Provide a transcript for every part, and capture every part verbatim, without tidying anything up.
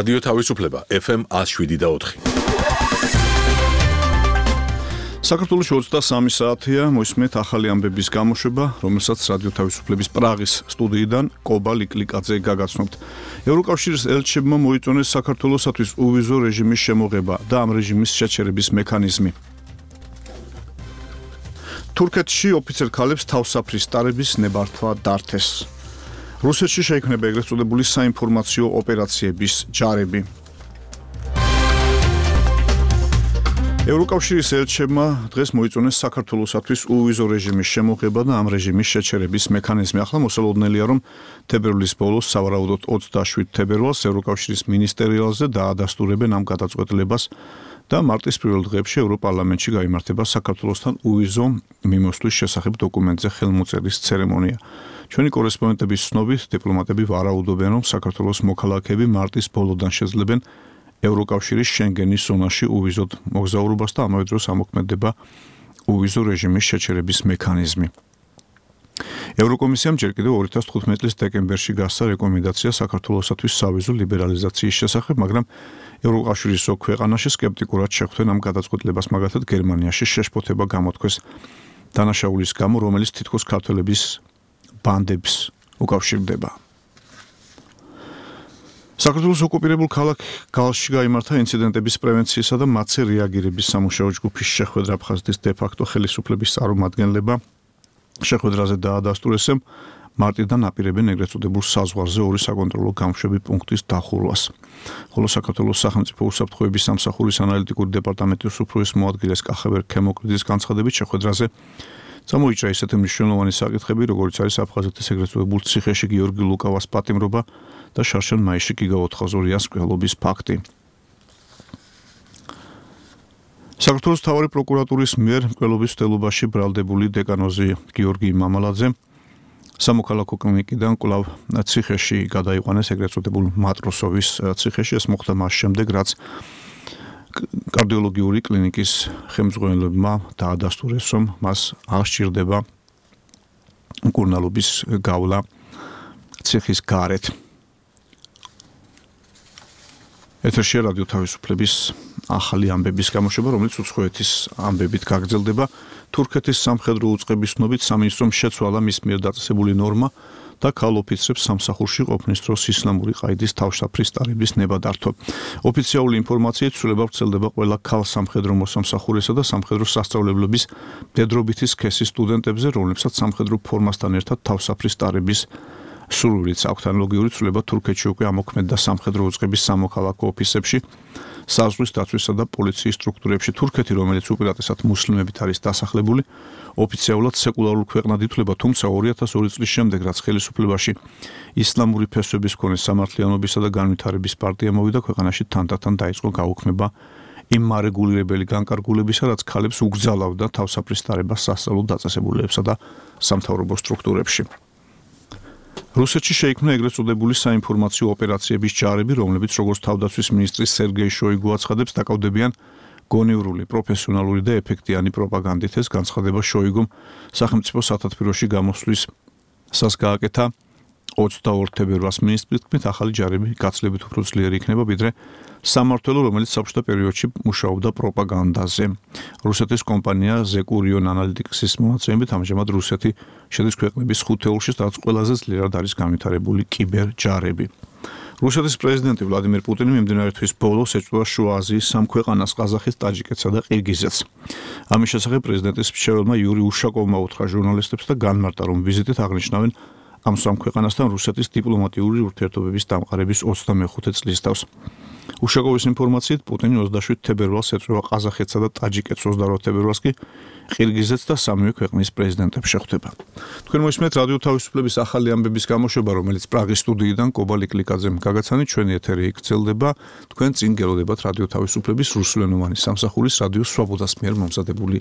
რადიო თავისუფლება ეფ ემ ათს შვიდი და ოთხი. საქართველოში ოცდასამი საათია, მოისმენთ ახალი ამბების გამოშვება, რომელსაც რადიო თავისუფლების პრაღის სტუდიიდან კობა ლიკლიკაძე გაგაცნობთ. ევროკავშირის ელჩებმა მოიწონეს საქართველოსათვის უვიზო რეჟიმის შემოღება და ამ რეჟიმის შეჩერების მექანიზმი. თურქეთში ოფიცერ ქალებს თავსაფრის სტარების ნებართვა დართეს. რუსეთში შეიქმნება ეგრეთ წოდებული საინფორმაციო ოპერაციების ჯარები. ევროკავშირის ელჩებმა დღეს მოიწონეს საქართველოსათვის უვიზო რეჟიმის შემოღება და ამ რეჟიმის შეჩერების მექანიზმი. ახლა მოსალოდნელია, რომ თებერვლის ბოლოს, სავარაუდოდ ოცდაშვიდ თებერვალს, ევროკავშირის მინისტერიალზე დაადასტურებენ ამ გადაწყვეტილებას და მარტის პირველ დღეებში ევროპარლამენტში გაიმართება საქართველოსთან უვიზო მიმოსვლის შესახებ დოკუმენტზე ხელმოწერის ცერემონია. ჩვენი კორესპონდენტების ცნობით, დიპლომატები ვარაუდობენ, რომ საქართველოს მოქალაქეები მარტის ბოლოდან შეძლებენ ევროკავშირის შენგენის ზონაში უვიზოდ მოგზაურობას და ამავე დროს ამოქმედება უვიზო რეჟიმის შეჩერების მექანიზმი. ევროკომისიამ ჯერ კიდევ ორი ათას თხუთმეტი წლის დეკემბერში გასცა რეკომენდაცია საქართველოსათვის სავიზო ლიბერალიზაციის შესახებ, მაგრამ ევროკავშირის ზოგ ქვეყანაში სკეპტიკურად შეხვდნენ ამ გადაწყვეტილებას, მაგალითად გერმანიაში შეშფოთება გამოთქვეს დანაშაულის გამო, რომელიც თითქოს ქართველების ბანდებს უკავშირდება. საქართველოს ოკუპირებულ ქალაქ გალში გაიმართა ინციდენტების პრევენციისა და მათზე რეაგირების სამუშაო ჯგუფის შეხვედრა. აფხაზეთის დე-ფაქტო ხელისუფლების წარმომადგენლება შეხვედრაზე დაადასტურეს, მარტიდან აპირებენ ეგრეთ წოდებულ საზღვარზე ორი საკონტროლო გამშვები პუნქტის დახურვას. ხოლო საქართველოს სახელმწიფო უსაფრთხოების სამსახურის ანალიტიკური დეპარტამენტის უფროს მოადგილეს კახაბერ ქემოკლიძის განცხადებით, შეხვედრაზე წამოიჭრა ისეთი მნიშვნელოვანი საკითხები, როგორც არის აფხაზეთის ეგრეთ წოდებულ ციხეში გიორგი ლუკავას პატიმრობა და შარშან მაისში გიგა ოთხაზორიას მკვლობის ფაქტი. საქართველოს მთავარი პროკურატურის მიერ მკვლობის მცდელობაში ბრალდებული დეკანოზი გიორგი მამალაძე სამოქალაქო კლინიკიდან კვლავ ციხეში გადაიყვანეს ეგრეთ წოდებულ მატროსოვის ციხეში. ეს მოხდა მას შემდეგ, რაც კარდიოლოგიური კლინიკის ხელმძღვანელებმა დაადასტურეს, რომ მას არ სჭირდება მკურნალობის გავლა ციხის გარეთ. ეთერშია რადიო თავისუფლების ახალი ამბების გამოშვება, რომელიც უცხოეთის ამბებით გაგრძელდება. თურქეთის სამხედრო უწყების ცნობით სამინისტრომ შეცვალა მის მიერ დაწესებული ნორმა და ქალ ოფიცრებს სამსახურში ყოფნის დროს ისლამური ყაიდის თავშაფრის სტარების ნება დართვა. ოფიციალური ინფორმაციით ცვლილება ვრცელდება ყველა ქალ სამხედრო მოსამსახურესა და სამხედრო სასწავლებლების მდედრობითი სქესის სტუდენტებზე, რომლებსაც სამხედრო ფორმასთან ერთად თავსაფრის სტარების სურვილიც აქვთ. ანალოგიური ცვლილება თურქეთში უკვე ამოქმედდა სამხედრო უწყების სამოქალაქო ოფისებში, საზღვრის დაცვისა და პოლიციის სტრუქტურებში. თურქეთი, რომელიც უპირატესად მუსლიმებით არის დასახლებული, ოფიციალურად სეკულარულ ქვეყნად ითვლება, თუმცა ორი ათას ორი წლის შემდეგ, რაც ხელისუფლებაში ისლამური ფესვების მქონე სამართლიანობისა და განვითარების პარტია მოვიდა, ქვეყანაში თანდათან დაიწყო გაუქმება იმ მარეგულირებელი განკარგულებისა, რაც ქალებს ugრძალავდა თავსაფრის სტარებას სასწავლო დაწესებულებებსა და სამთავრობო სტრუქტურებში. რუსეთში შეიქმნა ეგრეთ წოდებული საინფორმაციო ოპერაციების ჯარები, რომლებიც როგორც თავდაცვის მინისტრი სერგეი შოიგუ აცხადებს, დაკავდებიან გონივრული, პროფესიონალური და ეფექტიანი პროპაგანდით. ეს განცხადება შოიგუმ სახელმწიფო სათათბიროში გამოსვლის სას გააკეთა ოცდაორ თებერვალს. მინისტრის თქმით, ახალი ჯარები გაცილებით უფრო ძლიერი იქნება, ვიდრე სამმართველო, რომელიც საბჭოთა პერიოდში მუშაობდა პროპაგანდაზე. რუსეთის კომპანია ზეკურიონ ანალიტიკსის მონაცემებით, ამჟამად რუსეთი შედის ქვეყნების ხუთეულში, სადაც ყველაზე ძლიერად არის განვითარებული კიბერჯარები. რუსეთის პრეზიდენტი ვლადიმერ პუტინი მიმდინარე თვის ბოლოს ეჭვდა შუა აზიის სამ ქვეყანას, ყაზახეთს, ტაჯიკეთსა და ყირგიზეთს. ამის შესახებ პრეზიდენტის მრჩეველმა იური უშაკოვმა უთხრა ჟურნალისტებს და განმარტა, რომ ვიზიტით აღნიშნავენ ამ სამ ქვეყანასთან რუსეთის დიპლომატიური ურთიერთობების დამყარების ოცდამეხუთე წლის თავს. უშაკოვის ინფორმაციით, პუტინი ოცდაშვიდ თებერვალს ეწვევა ყაზახეთსა და ტაჯიკეთს, ოცდაორ თებერვალს კი ყირგიზეთს და სამივე ქვეყნის პრეზიდენტებს შეხვდება. თქვენ მოისმენთ რადიო თავისუფლების ახალი ამბების გამოშვება, რომელიც პრაღის სტუდიიდან კობა ლიკლიკაძემ გაგაცანით. ჩვენი ეთერი გრძელდება. თქვენ წინ გელოდებათ რადიო თავისუფლების რუსულენოვანი სამსახურის რადიო სვაბოდას მიერ მომზადებული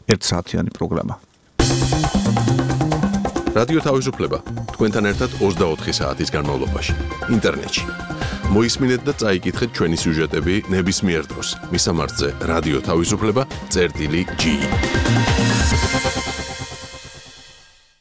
ერთსაათიანი პროგრამა. რადიო თავისუფლება თქვენთან ერთად ოცდაოთხი საათის განმავლობაში ინტერნეტში. მოისმინეთ და წაიკითხეთ ჩვენი სიუჟეტები ნებისმიერ დროს. მისამართზე რადიო თავისუფლება წერტილი ჯი.